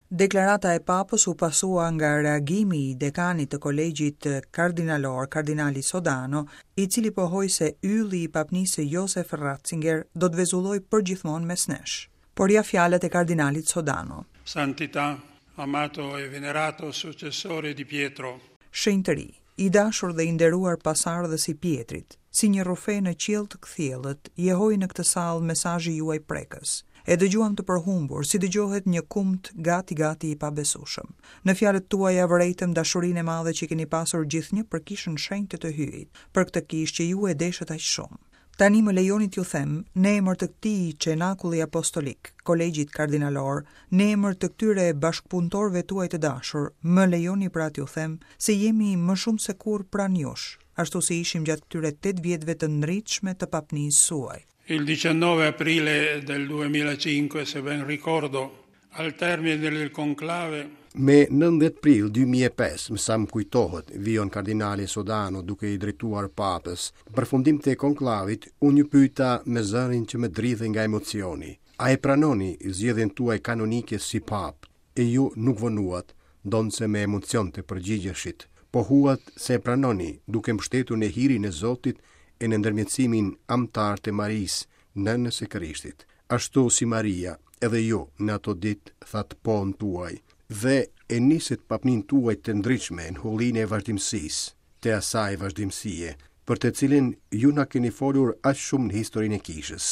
Deklarata e Papës u pasua nga reagimi i dekanit të Kolegjit Kardinalor, kardinali Sodano, i cili pohoi se ylli i papnisë së Josef Ratzinger do të vezullojë përgjithmonë mes nesh. Por ja fjalët e kardinalit Sodano. Santità, amato e venerato successore di Pietro. Shenjtëri, i dashur dhe i nderuar pasardhës i Pjetrit, si një rrufe në qiell të kthjellët, jehoi në këtë sallë mesazhi juaj prekës. E dëgjuam të përhumbur, si dëgjohet një kumt gati-gati i pabesueshëm. Në fjalët tuaja vërejtëm dashurinë e madhe që keni pasur gjithnjë për Kishën Shenjte të Hyjit, për këtë kishë që ju e deshët aq shumë. Tani më lejoni t'ju them, në emër të këtij Cenakulli Apostolik, Kolegjit Kardinalor, në emër të këtyre bashkëpunëtorëve tuaj të dashur, më lejoni pra t'ju them se jemi më shumë se kurrë pranë jush, ashtu si ishim gjatë këtyre tetë vjetëve të ndritshme të papnisë suaj. Il 19 aprile del 2005, se ben ricordo, al termine del conclave, Me 19 prill 2005, me sa më kujtohet, vijon kardinali Sodano duke iu drejtuar Papës, në përfundim të konklavit, unë ju pyeta me zërin që më dridhej nga emocioni, A e pranoni zgjedhjen tuaj kanonike si Papë? E ju nuk vonuat, ndonëse me emocion të përgjigjeshit. Pohuat se e pranoni, duke mbështetur në hirin e Zotit e në ndërmjetësimin amtar të Marisë, Nënës së Krishtit. Ashtu si Maria, edhe ju, në ato ditë, thatë po-në tuaj, dhe e nisët papninë tuaj të ndritshme në hullinë e vazhdimësisë, të asaj vazhdimësie, për të cilën ju na keni folur aq shumë në historinë e Kishës.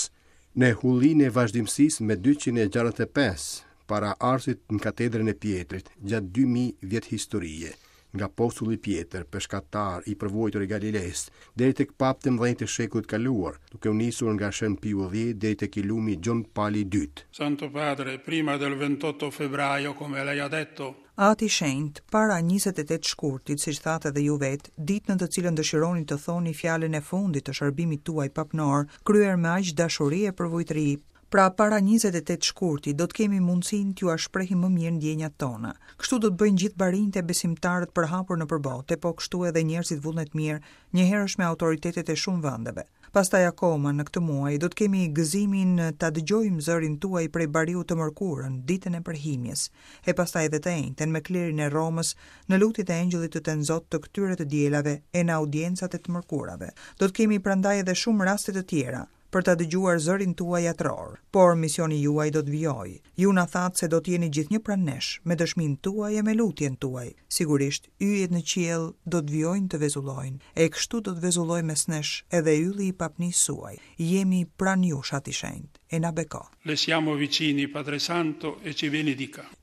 Në hullinë e vazhdimësisë me 265 paraardhësit në katedrën e Pjetrit, gjatë 2000 vjet historie, nga apostulli Pjetër, peshkatar i përvojtur i Galilesë, deri tek papët e mëdhenj të shekullit të kaluar, duke u nisur nga Shën Piu X deri tek i lumi Gjon Pali i II. Santo Padre, prima del 28 febbraio, come lei ha detto, Ati i Shenjtë, para 28 shkurtit, siç thatë edhe ju vetë, ditë në të cilën dëshironi të thoni fjalën e fundit të shërbimit tuaj papnor, kryer me aq dashuri e përvujtëri, Pra para 28 shkurtit do të kemi mundësinë t'jua shprehim më mirë ndjenjat tona. Kështu do të bëjnë gjithë barinjtë e besimtarët përhapur nëpër botë, e po kështu edhe njerëzit vullnetmirë, njëherësh me autoritetet e shumë vendeve. Pastaj akoma në këtë muaj do të kemi gëzimin ta dëgjojmë zërin tuaj prej bariu të mërkurën, ditën e përhimjes, e pastaj edhe të enjten me klerin e Romës në lutjet e Engjëllit të Tenzot të këtyre të dielave e në audiencat e të mërkurave. Do të kemi prandaj edhe shumë raste të tjera, për ta dëgjuar zërin tuaj atëror. Por misioni juaj do të vijojë. Ju na thatë se do të jeni gjithnjë pranë nesh, me dëshminë tuaj e me lutjen tuaj. Sigurisht, yjet në qiell do të vijojnë të vezullojnë, e kështu do të vezullojë mes nesh edhe ylli i papnisë suaj. Jemi pranë jush, Ati i Shenjtë, e na beko. Le siamo vicini, Padre Santo, e ci benedica.